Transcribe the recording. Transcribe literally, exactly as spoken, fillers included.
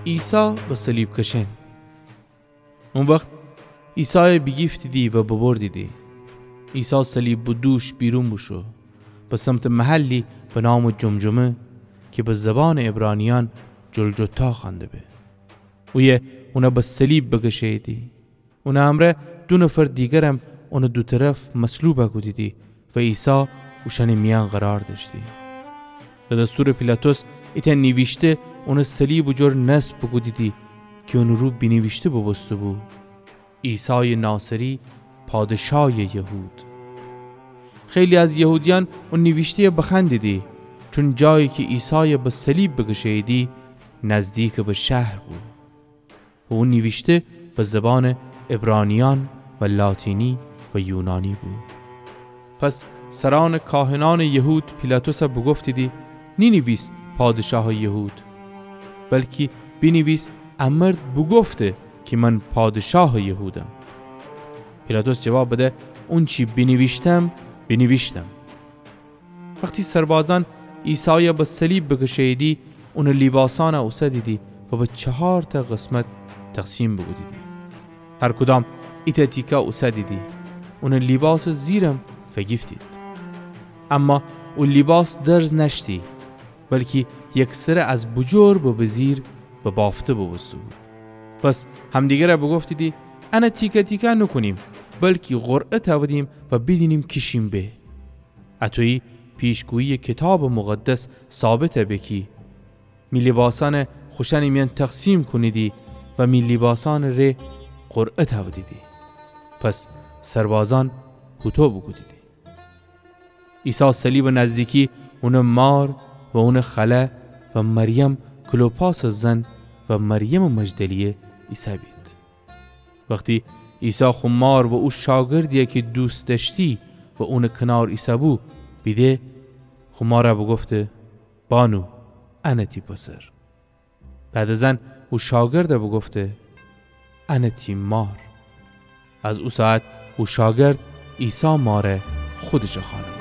عیسی به صلیب کشأن. او وخت عیسایَ بیگیفتیدی و ببردیدی. عیسی صلیب به دوش بیرون بوشو، به سمتٚ محلی به نامٚ جمجمه کی به زبانٚ عبرانیأن جلجتا خوأنده به. اویه اونَ به صلیب بکشه‌ییدی. اونٚ امرأ دو نفر دیگرم اونٚ دو طرف مصلوب کودیدی و عیسی اوشأنٚ میأن قرار دأشتی. به دستورٚ پیلاطس ایتأ نیویشته اونٚ صلیبٚ جور نصب بوکودیدی کی اونٚ رو بینیویشته بوبوسته‌بو: عیسایٚ ناصری، پادشایٚ یهود. خیلی از یهودیأن او نیویشته‌یَ بخوأندیدی، چون جایی کی عیسایَ به صلیب بکشه‌ییدی نزدیکٚ به شهر بو. و او نیویشته به زبانٚ عبرانیأن و لاتینی و یونانی بو. پس سرأنٚ کاهنأنٚ یهود پیلاطسَ بوگفتیدی: نینیویس پادشاهٚ یهود، بلکی بینیویس: ا مرد بوگفته کی من پادشاهٚ یهودم. پیلاطس جواب بده: اونچی بینیویشتم، بینیویشتم. وختی سربازأن عیسایَ به صلیب بکشه‌ییدی، اونٚ لیباسأنَ اوسدیدی و به چهارتأ قسمت تقسیم بوکودیدی. هر کدام ایتأ تیکه اوسدیدی. اونٚ لیباسٚ زیرم فیگیفتید. اما او لیباس درز نأشتی، بلکی یکسره از بوجور به بزیر به بافته بوبوسته‌بو. پس همدیگرَ بوگفتیدی: انَ تیکه تیکه نوکونیم، بلکی قرعه تأودیم و بیدینیم کی شین به. اطویی پیشگویی‌یٚ کیتابٚ مقدس ثابت به کی می لیباسأنَ خوشأنٚ میأن تقسیم کونیدی و می لیباسأنٚ ره قرعه تأودیدی. پس سربازأن هوطو بوکودیدی. عیسی صلیبٚ نزدیکی اونٚ مار و اونٚ خاله و مریم کلوپاسٚ زن و مریمٚ مجدلیه ایسه‌بید. وختی عیسی خو مار و او شاگردی‌یَ کی دوست دأشتی و اونٚ کنار ایسه‌بو بیده، خو مارَ بوگفته: بانو، انَ تی پسر. بعد از ان او شاگردَ بوگفته: انَ تی مار. از او ساعت او شاگرد عیسی مارَ خودشٚ خانه